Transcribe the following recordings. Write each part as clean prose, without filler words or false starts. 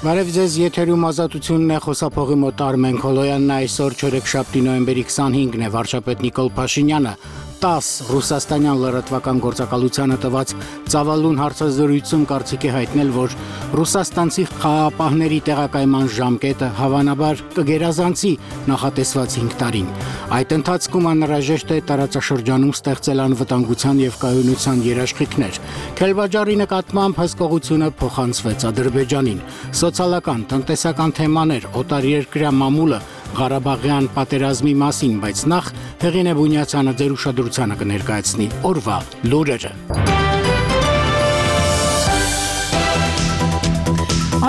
Բարև ձեզ, եթերում ազատությունն է, խոսափողի մոտ Արմեն Քոլոյանն, այսօր չորեքշաբթի նոյեմբերի 25-ն է, վարչապետ Նիկոլ Փաշինյանը 10 ռուսաստանյան լրատվական գործակալությանը տված ծավալուն հարցազրույցում կարծիք է հայտնել, որ ռուսաստանցի խաղապահների տեղակայման ժամկետը հավանաբար կգերազանցի նախատեսված 5 տարին։ Այդ ընթացքում անհրաժեշտ է տարածաշրջանում ստեղծել անվտանգության եւ կայունության երաշխիքներ։ Քելբաջարի նկատմամբ հսկողությունը փոխանցվեց Ադրբեջանին։ Սոցիալական, տնտեսական թեմաներ, օտարերկրյա մամուլը, Ղարաբաղյան պատերազմի մասին, բայց նախ Հեղինե Բունյացյանը ձեր ուշադրությանը կներկայացնի օրվա լուրերը։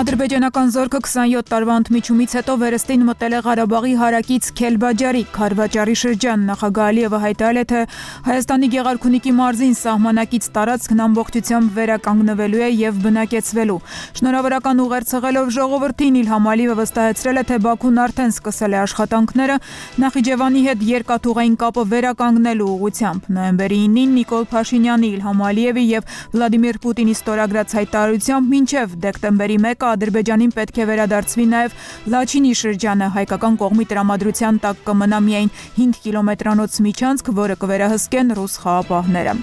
Ադրբեջանական զորքը 27 տարվա ընդմիջումից հետո վերստին մտել է Ղարաբաղի հարակից Քելբաջարի Քարվաճարի շրջան։ Նախագահ Ալիևը հայտարարել է, թե Հայաստանի Գեղարքունիքի մարզին սահմանակից տարածքն ամբողջությամբ վերականգնվելու է եւ բնակեցվելու։ Շնորհավորական ուղերձ հղելով ժողովրդին Իլհամ Ալիևը վստահեցրել է, թե Բաքուն արդեն սկսել է աշխատանքները Նախիջևանի հետ երկաթուղային կապը վերականգնելու ուղղությամբ։ Նոյեմբերի 9-ին Նիկոլ Փաշինյանի, Իլհամ Ալիևի եւ Վլադիմիր Պուտինի ստորագրած հայտարարությամբ մինչեւ դեկտեմբերի 1 Ադրբեջանին պետք է վերադարձվի նաև Լաչինի շրջանը, հայկական կողմի տրամադրության տակ կմնա միայն 5 կիլոմետրանոց միջանցք, որը կվերահսկեն ռուս խաղապահները։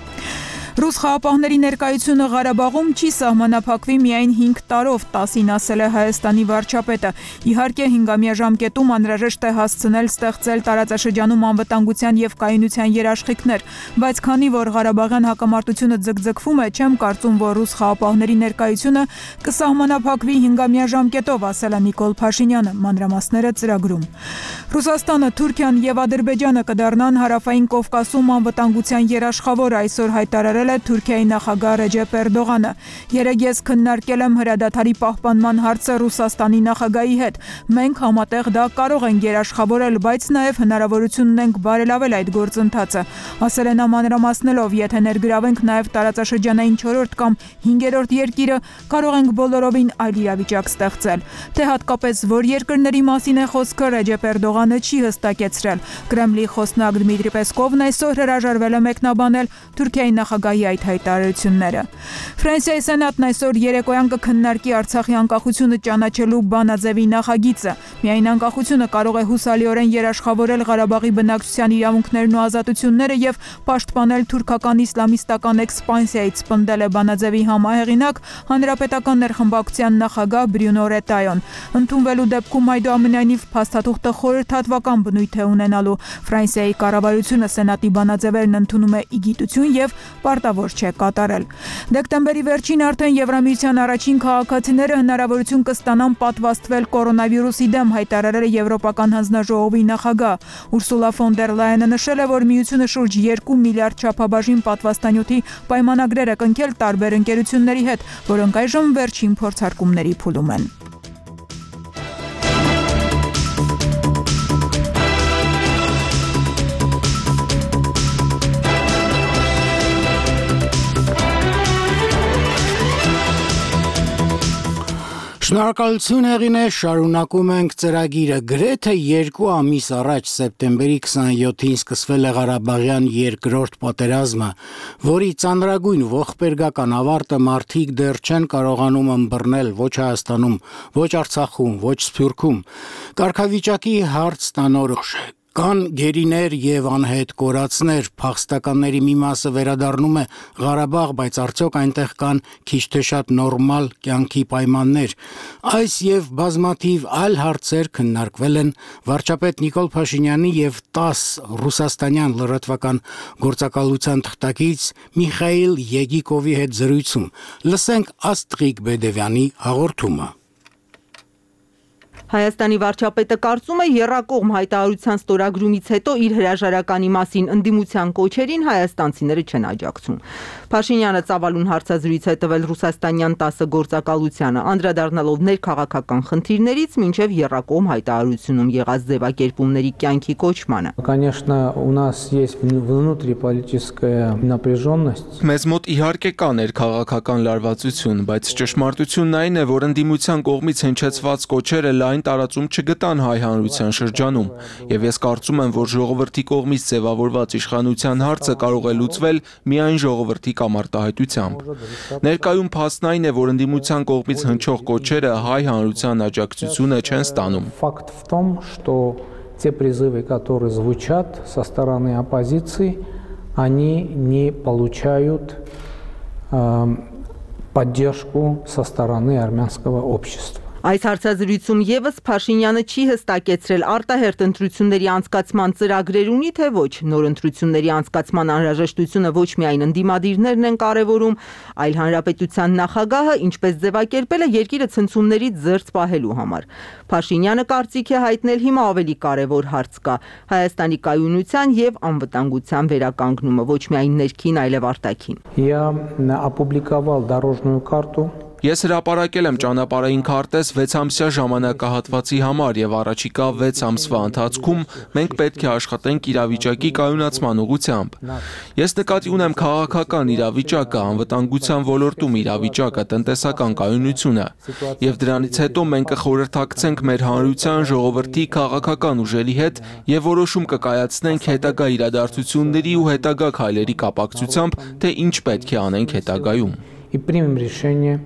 Ռուս խաղապահների ներկայությունը Ղարաբաղում չի սահմանափակվի միայն 5 տարով, 10-ին ասել է Հայաստանի վարչապետը։ Իհարկե 5-ամյա ժամկետում անհրաժեշտ է հասցնել ստեղծել տարածաշրջանում անվտանգության եւ կայունության երաշխիքներ, բայց քանի որ Ղարաբաղյան հակամարտությունը ձգձգվում է, չեմ կարծում, որ ռուս խաղապահների ներկայությունը կսահմանափակվի 5-ամյա ժամկետով, ասել է Նիկոլ Փաշինյանը, մանրամասները ծրագրում։ Ռուսաստանը, Թուրքիան եւ Ադրբեջանը կդառնան հարավային Կովկասում անվտանգության երաշխավոր, այսօր հայտարարել Թուրքիայի նախագահ Ռեջեփ Էրդողանը։ Երեկ ես քննարկել եմ հրադադարի պահպանման հարցը Ռուսաստանի նախագահի հետ։ Մենք համատեղ դա կարող ենք երաշխավորել, բայց նաև հնարավորություն ունենք բարելավել այդ գործընթացը, ասել է նա մանրամասնելով, եթե ներգրավենք նաև տարածաշրջանային 4-րդ կամ 5-րդ երկիրը, կարող ենք բոլորովին այլ իրավիճակ ստեղծել։ Թե հատկապես որ երկրների մասին է խոսքը, Ռեջեփ Էրդողանը չի հստակեցրել։ Կրեմլի խոսնակ Դմիտրի Պեսկովն այսօր հրաժարվել է մեկնաբանել Թուրքիայի նախագահի այդ հայտարարությունները։ Ֆրանսիայի սենատն այսօր երեկոյան կքննարկի Արցախի անկախությունը ճանաչելու բանաձևի նախագիծը։ Միայն անկախությունը կարող է հուսալիորեն երաշխավորել Ղարաբաղի բնակչության իրավունքներն ու ազատությունները եւ պաշտպանել թուրքական իսլամիստական էքսպանսիայից, պնդել է բանաձևի համահեղինակ հանրապետական ներխմբակցության նախագահ Բրյունո Ռետայոն։ Ընդունվելու դեպքում այդուամենայնիվ փաստաթուղթը խորհրդատվական բնույթ է ունենալու։ Ֆրանսիայի կառավարությունը սենատի բանաձևերն ընդունում է իգիտություն եւ պարտավոր չէ կատարել։ Դեկտեմբերի վերջին արդեն Եվրամիության առաջին քաղաքացիները հնարավորություն կստանան պատվաստվել կորոնավիրուսի դեմ, հայտարարել է Եվրոպական հանձնաժողովի նախագահ։ Ուրսուլա ֆոն դեր Լայենը նշել է, որ միությունը շուրջ 2 միլիարդ չափաբաժին պատվաստանյութի պայմանագրեր է կնքել տարբեր ընկերությունների հետ, որոնք այժմ վերջին փորձարկումների փուլում են։ Շնորհակալություն Հեղինե, շարունակում ենք ծրագիրը։ Գրեթե 2 ամիս առաջ սեպտեմբերի 27-ին սկսվել է Ղարաբաղյան երկրորդ պատերազմը, որի ծանրագույն ողբերգական ավարտը մարդիկ դեռ չեն կարողանում ըմբռնել ոչ Հայաստանում, ոչ Արցախում, ոչ Սփյուռքում։ Կարգավիճակի հարց տանորոշ է։ Կան գերիներ եւ անհետ կորածներ, փախստականների մի մասը վերադառնում է Ղարաբաղ, բայց արդյոք այնտեղ կան քիչ թե շատ նորմալ կյանքի պայմաններ։ Այս եւ բազմաթիվ այլ հարցեր քննարկվել են վարչապետ Նիկոլ Փաշինյանի եւ 10 ռուսաստանյան լրատվական գործակալության թղթակից Միխայիլ Եգիկովի հետ զրույցում։ Լսենք Աստրիկ Բեդևյանի հաղորդումը։ Հայաստանի վարչապետը կարծում է եռակողմ հայտարարության ստորագրումից հետո իր հրաժարականի մասին ընդդիմության կոչերին հայաստանցիները չեն աջակցում։ Փաշինյանը ծավալուն հարցազրույց է տվել ռուսաստանյան 10 գործակալությանը, անդրադառնալով ներքաղաքական խնդիրներից մինչև եռակողմ հայտարարությունում եղած ձևակերպումների կյանքի կոչմանը։ Конечно, у нас есть внутриполитическая напряженность. Մեզ մոտ իհարկե կա ներքաղաքական լարվածություն, բայց ճշմարտությունն այն է, որ ընդդիմության կողմից հնչեցված կոչերը լայն այն տարածում չգտան հայ հանրության շրջանում, եւ ես կարծում եմ, որ ժողովրդի կողմից ձևավորված իշխանության հարցը կարող է լուծվել միայն ժողովրդի կամարտահայտությամբ։ Ներկայում փաստն այն է, որ ընդդիմության կողմից հնչող կոչերը հայ հանրության աջակցությունը չեն ստանում։ Факт в том, что те призывы, которые звучат со стороны оппозиции, они не получают поддержку со стороны армянского общества. Այս հարցազրույցում եւս Փաշինյանը չի հստակեցրել արտահերթ ընտրությունների անցկացման ծրագրեր ունի թե ոչ, նոր ընտրությունների անցկացման անհրաժեշտությունը ոչ միայն ընդդիմադիրներն են կարևորում, այլ հանրապետության նախագահը ինչպես ձևակերպել է երկիրը ցնցումներից զերծ պահելու համար։ Փաշինյանը կարծիք է հայտնել հիմա ավելի կարևոր հարց կա՝ Հայաստանի կայունության եւ անվտանգության վերականգնումը, ոչ միայն ներքին, այլև արտաքին։ Я опубликовал дорожную карту. Ես հրապարակել եմ ճանապարհային քարտեզ 6-ամսյա ժամանակահատվածի համար եւ առաջիկա 6 ամսվա ընթացքում մենք պետք է աշխատենք իրավիճակի կայունացման ուղղությամբ։ Ես նկատի ունեմ քաղաքական իրավիճակը, անվտանգության ոլորտում իրավիճակը, տնտեսական կայունությունը եւ դրանից հետո մենք կխորհրդակցենք մեր հանրության ժողովրդի քաղաքական ուժերի հետ եւ որոշում կկայացնենք հետագա իրադարձությունների ու հետագա քայլերի կապակցությամբ, թե ինչ պետք է անենք հետագայում։ И примем решение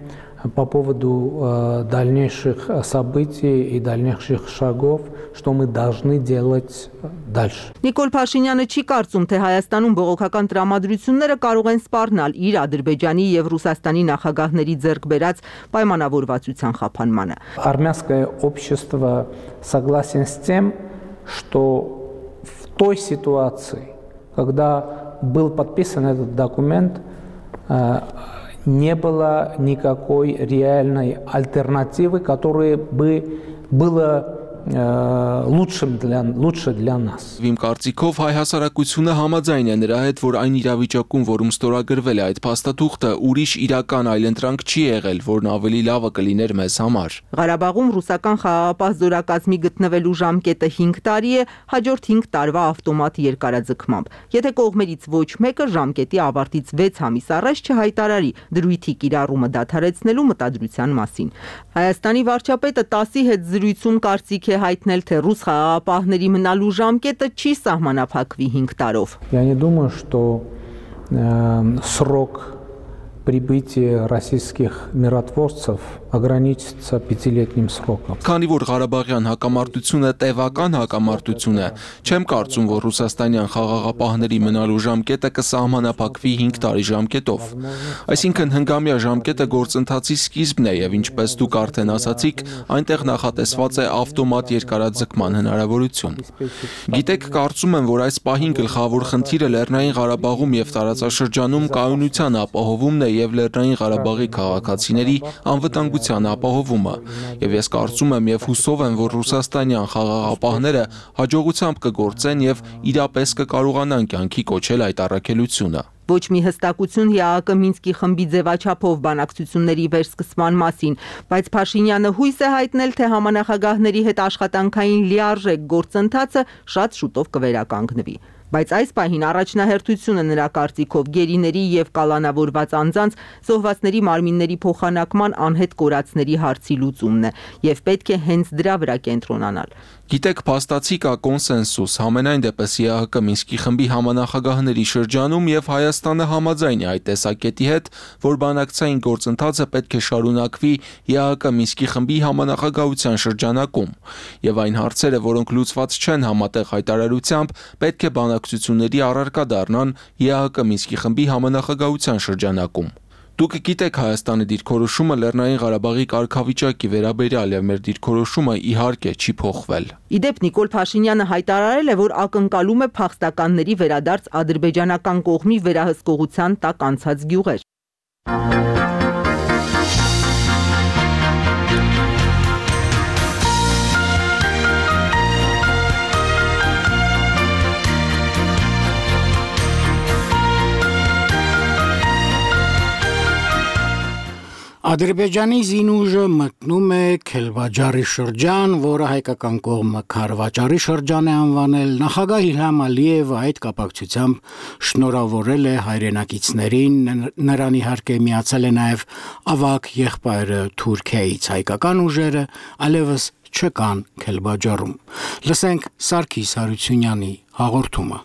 по поводу дальнейших событий и дальнейших шагов, что мы должны делать дальше. Նիկոլ Փաշինյանը չի կարծում, թե Հայաստանում բողոքական տրամադրությունները կարող են սպառնալ իր Ադրբեջանի եւ Ռուսաստանի նախագահների ձեռք բերած պայմանավորվածության խափանմանը։ Армянское общество согласен с тем, что в той ситуации, когда был подписан этот документ, не было никакой реальной альтернативы, которая бы была лучше для нас. Իմ կարծիքով հայ հասարակությունը համաձայն է նրա հետ, որ այն իրավիճակում, որում ստորագրվել է այդ փաստաթուղթը, ուրիշ իրական այլընտրանք չի եղել, որն ավելի լավը կլիներ մեզ համար։ Ղարաբաղում ռուսական խաղաղապահ զորակազմի գտնվելու ժամկետը 5 տարի է, հաջորդ 5 տարվա ավտոմատ երկարաձգմամբ։ Եթե կողմերից ոչ մեկը ժամկետի ավարտից 6 ամիս առաջ չհայտարարի դրույթի կիրառումը դադարեցնելու мտադրության մասին։ Հայաստանի վարչապետը ՏԱՍ-ի հետ զրույցում կարծիք է հայտնել, թե ռուս խաղաղապահների մնալու ժամկետը չի սահմանափակվի 5 տարով։ Я не думаю, что срок прибытия российских миротворцев ограничится 5-летним сроком. Քանի որ Ղարաբաղյան հակամարտությունը տևական հակամարտություն է, չեմ կարծում, որ ռուսաստանյան խաղաղապահների մնալու ժամկետը կսահմանափակվի 5 տարի ժամկետով։ Այսինքն հնգամյա ժամկետը գործընթացի սկիզբն է եւ ինչպես դուք արդեն ասացիք, այնտեղ նախատեսված է ավտոմատ երկարաձգման հնարավորություն։ Գիտեք, կարծում եմ, որ այս պահին գլխավոր խնդիրը Լեռնային Ղարաբաղում եւ տարածաշրջանում կայունության ապահովումն է եւ Լեռնային Ղարաբաղի քաղաքացիների անվտանգության ապահովումը, եւ ես կարծում եմ եւ հուսով եմ, որ ռուսաստանյան խաղաղապահները հաջողությամբ կգործեն եւ իրապես կկարողանան կյանքի կոչել այդ առաքելությունը։ Ոչ մի հստակություն ՀԱԿ Մինսկի խմբի ձևաչափով բանակցությունների վերսկսման մասին, բայց Փաշինյանը հույս է հայտնել, թե համանախագահների հետ աշխատանքային լիարժեք գործընթացը շատ շուտով կվերականգնվի։ Բայց այս պահին առաջնահերթությունը նրա կարծիքով գերիների եւ կալանավորված անձանց զոհվածների մարմինների փոխանակման անհետ կորածների հարցի լուծումն է եւ պետք է հենց դրա վրա կենտրոնանալ։ Գիտեք, փաստացի կա կոնսենսուս համենայն դեպս ՀԱԿ Մինսկի խմբի համանախագահների շրջանում եւ Հայաստանը համաձայն է այդ տեսակետի հետ, որ բանակցային գործընթացը պետք է շարունակվի ՀԱԿ Մինսկի խմբի համանախագահության շրջանակում եւ այն հարցերը, որոնք լուծված չեն համատեղ հայտարարությամբ, պետք է բանակցությունների առարկա դառնան ՀԱԿ Մինսկի խմբի համանախագահության շրջանակում։ Դուք գիտեք Հայաստանի դիրքորոշումը Լեռնային Ղարաբաղի կարգավիճակի վերաբերյալ եւ մեր դիրքորոշումը իհարկե չի փոխվել։ Իդեպ Նիկոլ Փաշինյանը հայտարարել է, որ ակնկալում է փախստականների վերադարձ ադրբեջանական կողմի վերահսկողության տակ անցած գյուղեր։ Ադրբեջանի զինուժը մտնում է Քելբաջարի շրջան, որը հայկական կողմը Քարվաճարի շրջան է անվանել։ Նախագահ Իլհամ Ալիևը այդ կապակցությամբ շնորհավորել է հայրենակիցներին, նրան իհարկե միացել է նաև ավագ եղբայրը Թուրքիայից։ Հայկական ուժերը այլևս չկան Քելբաջարում։ Լսենք Սարգիս Հարությունյանի հաղորդումը։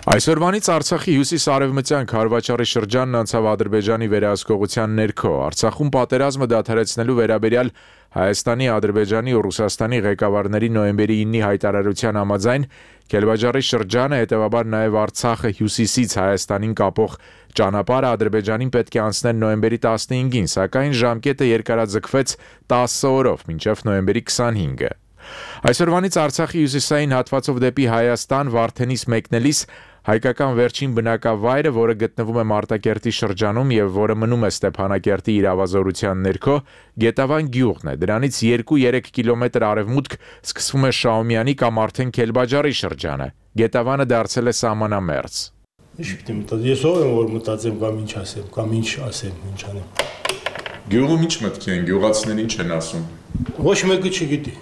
Այսօրվանից Արցախի հյուսիս-արևմտյան Քարվաճարի շրջանն անցավ Ադրբեջանի վերահսկողության ներքո։ Արցախում պատերազմը դադարեցնելու վերաբերյալ Հայաստանի, Ադրբեջանի ու Ռուսաստանի ղեկավարների նոյեմբերի 9-ի հայտարարության համաձայն Քելբաջարի շրջանը, հետևաբար նաև Արցախը հյուսիսից Հայաստանին կապող ճանապարհը Ադրբեջանին պետք է անցներ նոյեմբերի 15-ին, սակայն ժամկետը երկարաձգվեց 10 օրով, մինչև նոյեմբերի 25-ը։ Այսօրվանից Արցախի հյուսիսային հատվածով դեպի Հայաստան Վարդենից մեկնելիս հայկական վերջին բնակավայրը, որը գտնվում է Մարտակերտի շրջանում եւ որը մնում է Ստեփանակերտի իրավազորության ներքո, Գետավան գյուղն է։ Դրանից 2-3 կիլոմետր արևմուտք սկսվում է Շաումյանի կամ արդեն Քելբաջարի շրջանը։ Գետավանը դարձել է սահմանամերձ։ Ինչ պիտի մտածեմ, ես ով եմ որ մտածեմ կամ ինչ ասեմ, կամ ինչ ասեմ, ինչ անեմ։ Գյուղում ինչ մտքի են, գյուղացիներին ինչ են ասում։ Ոչ մեկը չգիտի։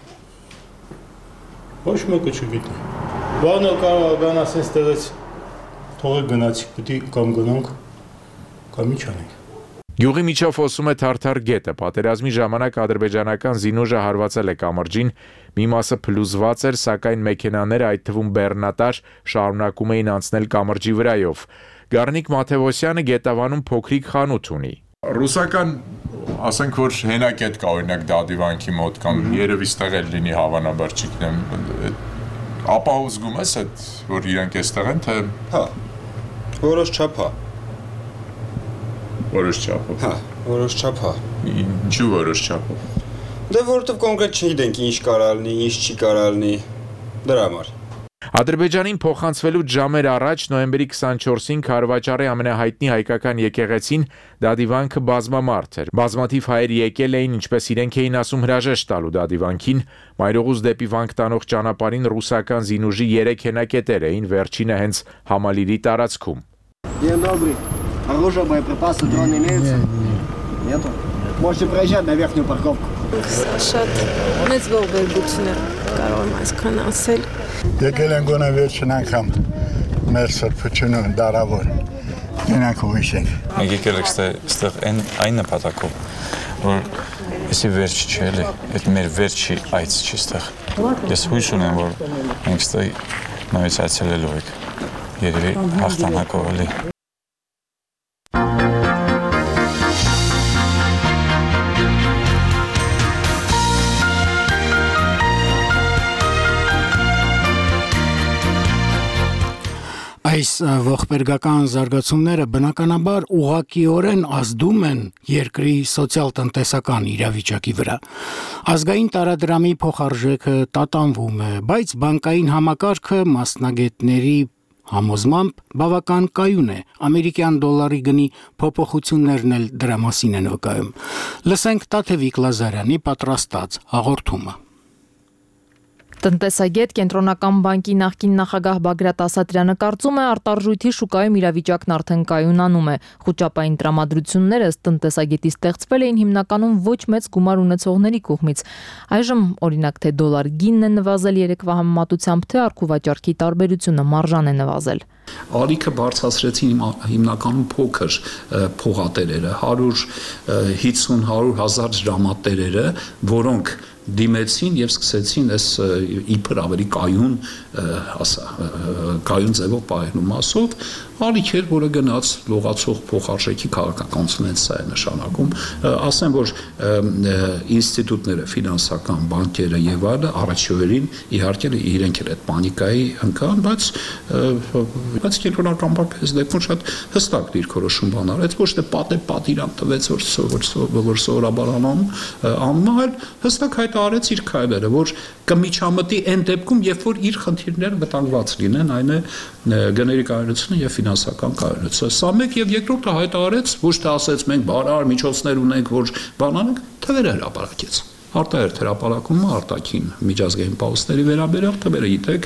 Ոչ մեկը չգիտի։ Բանը կարող գան ասես տեղից թողեք գնացիք, պիտի կամ գնանք, կամ ինչ անենք։ Գյուղի միջով հոսում է Թարթար գետը, պատերազմի ժամանակ ադրբեջանական զինուժը հարվածել է կամրջին, մի մասը փլուզված էր, սակայն մեքենաները, այդ թվում բեռնատար, շարունակում էին անցնել կամրջի վրայով։ Գառնիկ Մաթևոսյանը Գետավանում փոքրիկ խանութ ունի։ Ռուսական, ասենք որ հենակետ կա օրինակ Դադիվանքի մոտ կամ երևի ստեղ էլ լինի հավանաբար չգիտեմ, ապա ուզգում ես այդ որ իրանք էստեղ են թե հա որոշ չափ հա որոշ չափ հա որոշ չափ հա ինչու որոշ չափ դե որովհետև կոնկրետ չգիտենք ինչ կարա լինի, ինչ չի կարա լինի դրա համար Ադրբեջանին փոխանցվելուց ժամեր առաջ նոյեմբերի 24-ին Քարվաճարի ամենահայտնի հայկական եկեղեցին Դադիվանքը բազմամարդ էր։ Բազմաթիվ հայեր եկել էին, ինչպես իրենք էին ասում, հրաժեշտ տալու Դադիվանքին, Մայրողուց դեպի Վանք տանող ճանապարհին ռուսական զինուժի 3 հենակետեր էին, վերջինը հենց Համալիրի տարածքում։ День добрый. Оружие, боеприпасы, дрон имеется? Нету? Можете проезжать на верхнюю парковку. Շատ մեծ ողբերգություն է կարող եմ այսքան ասել։ Եկել են գոնե վերջին անգամ մեր սրբությունը դարավոր գնանք ու հիշենք։ Մենք եկել ենք այստեղ այն նպատակով, որ էսի վերջ չի էլի, այդ մեր վերջի այց չի այստեղ։ Ես հույս ունեմ, որ մենք այստեղ նույնիսկ այցելելու ենք։ Երևի հաղթանակով էլի։ Այս ողբերգական զարգացումները բնականաբար ուղղակիորեն ազդում են երկրի սոցիալ-տնտեսական իրավիճակի վրա։ Ազգային տարադրամի փոխարժեքը տատանվում է, բայց բանկային համակարգը մասնագետների համոզմամբ բավական կայուն է։ Ամերիկյան դոլարի գնի փոփոխություններն էլ դրա մասին են վկայում։ Լսենք Տաթևիկ Լազարյանի պատրաստած հաղորդումը։ Տնտեսագետ Կենտրոնական բանկի նախկին նախագահ Բագրատ Ասատրյանը կարծում է արտարժույթի շուկայում իրավիճակն արդեն կայունանում է։ Խոճապային տրամադրությունները ըստ տնտեսագետի ստեղծվել էին հիմնականում ոչ մեծ գումար ունեցողների կողմից։ Այժմ օրինակ թե դոլար գինն է նվազել երեկվա համեմատությամբ, թե առքուվաճառքի տարբերությունը մարժան է նվազել։ Ալիքը բարձրացրեցին հիմնականում փոքր փողատերերը, 150-100 հազար դրամատերերը, որոնք դիմեցին եւ սկսեցին այս իբր ավելի կայուն ձևով պահելու մասով ալիքեր, որը գնաց լողացող փոխարժեքի քաղաքականությունից սա է նշանակում, ասեմ, որ ինստիտուտները, ֆինանսական բանկերը եւ այլը առաջորդին իհարկե իրենք էլ այդ պանիկայի ընկան, բայց կենտրոնական բանկը այս դեպքում շատ հստակ դիրքորոշում բան արեց, ոչ թե պատիրանք տվեց, որ սովորաբար անում, այլ հստակ հայտարարեց իր քայլերը, որ կմիջամտի այն դեպքում, երբ որ իր խնդիրները վտանգված լինեն, այն է գների կայունությունը եւ ֆինանսական կայունությունը։ Սա մեկ եւ երկրորդը հայտարարեց, ոչ թե ասեց մենք բարար միջոցներ ունենք, որ բան անենք, թվերը հրապարակեց։ Արտահերթ հրապարակումը արտաքին միջազգային պահոստների վերաբերյալ թվերը գիտեք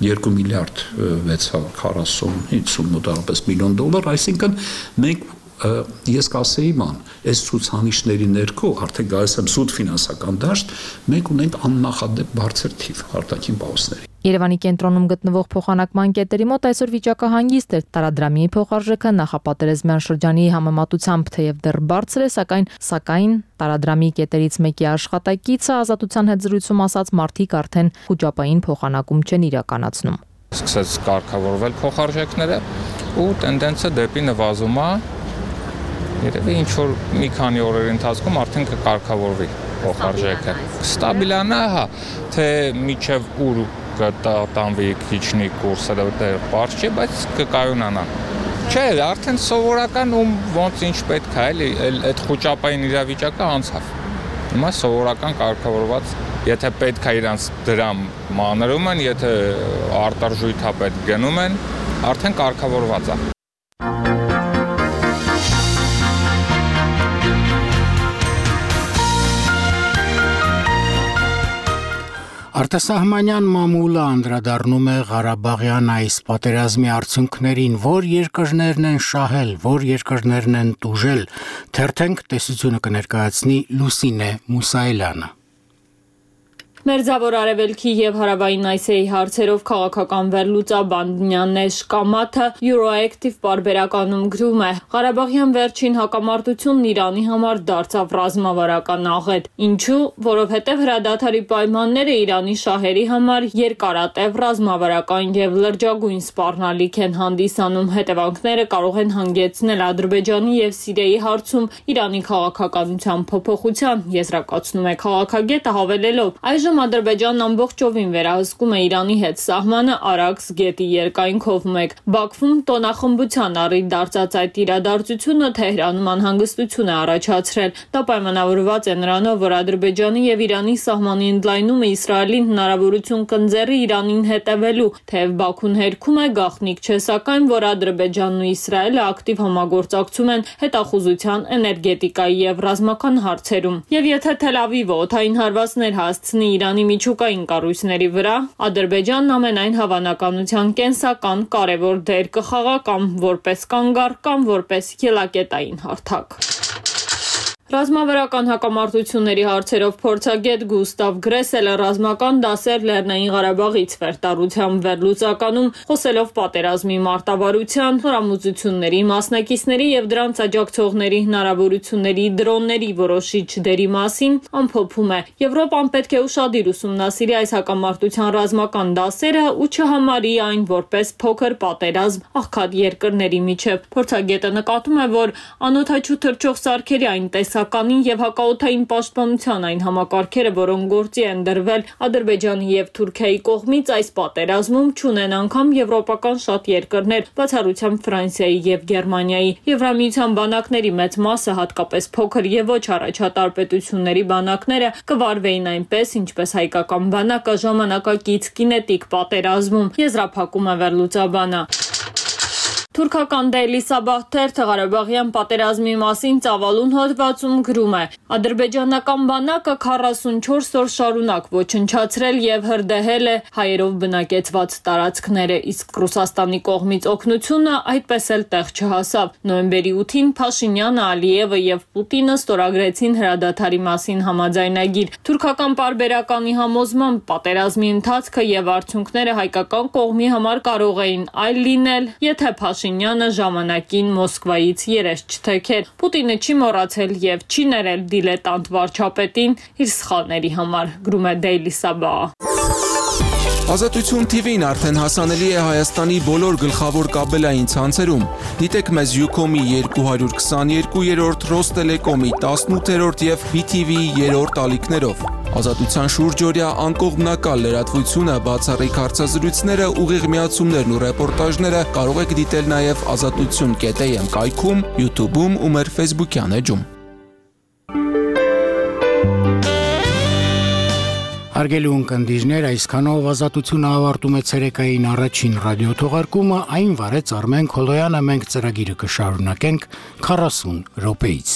2 միլիարդ 640 մոտավորապես միլիոն դոլար, այսինքն մենք ես կասեի ման, այս ցուցանիշների ներքո արդեն գալիս եմ սուտ ֆինանսական դաշտ, մենք ունենք աննախադեպ բարձր թիվ արտաքին պահոստների։ Երևանի կենտրոնում գտնվող փոխանակման կետերի մոտ այսօր վիճակը հանգիստ էր։ Տարադրամի փոխարժեքը նախապատերազմյան շրջանի համեմատությամբ թեև դեռ բարձր է, սակայն տարադրամի կետերից մեկի աշխատակիցը Ազատության հետ զրույցում ասաց, մարդիկ արդեն խոճապային փոխանակում չեն իրականացնում։ Սկսեց կարգավորվել փոխարժեքները ու տենդենսը դեպի նվազում է։ Երևի ինչ որ մի քանի օրերի ընթացքում արդեն կկարգավորվի փոխարժեքը։ Ստաբիլանա, հա, թե միջև ուր կտանվի քիչնի կուրսը դեռ բարձ չէ, բայց կկայունանա։ Չէ, արդեն սովորական ում ոնց ինչ պետք է, էլի այդ խոճապային իրավիճակը անցավ։ Հիմա սովորական կարգավորված, եթե պետք է իրանց դրամ մանրում են, եթե արտարժույթապետ գնում են, արդեն կարգավորված է։ Արտասահմանյան մամուլը անդրադառնում է Ղարաբաղյան այս պատերազմի արդյունքներին, որ երկրներն են շահել, որ երկրներն են տուժել, թերթենք տեսությունը կներկայացնի Լուսինե Մուսայելյանը։ Մերձավոր Արևելքի եւ Հարավային Ասիայի հարցերով քաղաքական վերլուծաբան Նյանեշ Կամաթը Euroactiv պարբերականում գրում է. Ղարաբաղյան վերջին հակամարտությունն Իրանի համար դարձավ ռազմավարական աղետ։ Ինչու? Որովհետեւ հրադադարի պայմանները Իրանի շահերի համար երկարատև ռազմավարական եւ լրջագույն սպառնալիք են հանդիսանում։ Հետևանքները կարող են հանգեցնել Ադրբեջանի եւ Սիրիայի հարցում Իրանի քաղաքականության փոփոխության, եզրակացնում է քաղաքագետը, հավելելով. Այժմ Ադրբեջանն ամբողջովին վերահսկում է Իրանի հետ սահմանը Արաքս գետի երկայնքով մեկ։ Բաքվում տոնախմբության առիթ դարձած այդ իրադարձությունը Թեհրանում անհանգստություն է առաջացրել։ Դա պայմանավորված է նրանով, որ Ադրբեջանի եւ Իրանի սահմանի ընդլայնումը Իսրայելին հնարավորություն կընձեռի Իրանին հետևելու, թեև Բաքուն հերքում է, գաղտնիք չէ, սակայն որ Ադրբեջանն ու Իսրայելը ակտիվ համագործակցում են հետախուզության, էներգետիկայի եւ ռազմական հարցերում։ Եվ եթե Թել Ավիվը օդային հարվածներ հասցնի Իրանի միջուկային կառույցների վրա, Ադրբեջանն ամենայն հավանականության կենսական կարևոր դեր կխաղա կամ որպես կանգառ, կամ որպես ելակետային հարթակ։ Ռազմավարական հակամարտությունների հարցերով փորձագետ Գուստավ Գրեսելը ռազմական դասեր Լեռնային Ղարաբաղից վերտարությամբ վերլուծականում խոսելով պատերազմի մարտավարության, հրամուծությունների, մասնակիցների եւ դրանց աջակցողների հնարավորությունների դրոնների որոշիչ դերի մասին ամփոփում է. Եվրոպան պետք է ուշադիր ուսումնասիրի այս հակամարտության ռազմական դասերը ու չհամարի այն որպես փոքր պատերազմ աղքատ երկրների միջև։ Փորձագետը նկատում է, որ անօդաչու թռչող սարքերի այն տեսականին եւ հակաօդային պաշտպանության այն համակարգերը, որոնք գործի են դրվել Ադրբեջանի եւ Թուրքիայի կողմից այս պատերազմում, չունեն անգամ եվրոպական շատ երկրներ, բացառությամբ Ֆրանսիայի եւ Գերմանիայի։ Եվրամիության բանակների մեծ մասը, հատկապես փոքր եւ ոչ առաջատար պետությունների բանակները, կվարվեին այնպես, ինչպես հայկական բանակը ժամանակակից կինետիկ պատերազմում, եզրափակում է վերլուծաբանը։ Թուրքական Daily Sabah թերթը Ղարաբաղյան պատերազմի մասին ծավալուն հոդվածում գրում է. Ադրբեջանական բանակը 44 օր շարունակ ոչնչացրել եւ հրդեհել է հայերով բնակեցված տարածքները, իսկ Ռուսաստանի կողմից օգնությունը այդպես էլ տեղ չհասավ։ Նոյեմբերի 8-ին Փաշինյանը, Ալիևը եւ Պուտինը ստորագրեցին հրադադարի մասին համաձայնագիր։ Թուրքական պարբերականի համոզմամբ պատերազմի ընթացքը եւ արդյունքները հայկական կողմի համար կարող էին այլ լինել, եթե Փաշինյանը ժամանակին Մոսկվայից երես չթեքեր։ Պուտինը չի մոռացել եւ չի ներել դիլետանտ վարչապետին իր սխալների համար, գրում է Daily Sabah։ Ազատություն TV-ն արդեն հասանելի է Հայաստանի բոլոր գլխավոր կաբելային ցանցերում։ Դիտեք մեզ Ucom-ի 222-րդ, Ռոստելեկոմի 18-րդ եւ BTV-ի 3-րդ ալիքներով։ Ազատության շուրջօրյա անկողմնակալ լրատվությունը, բացառիկ հարցազրույցները, ուղիղ միացումներն ու ռեպորտաժները կարող եք դիտել նաև azatutsun.am կայքում, YouTube-ում ու մեր Facebook-յան էջում։ Հարգելի ունկնդիրներ, այսքանով Ազատությունը ավարտում է ցերեկային առաջին ռադիոթողարկումը, այն վարեց Արմեն Քոլոյանը, մենք ծրագիրը կշարունակենք 40 րոպեից։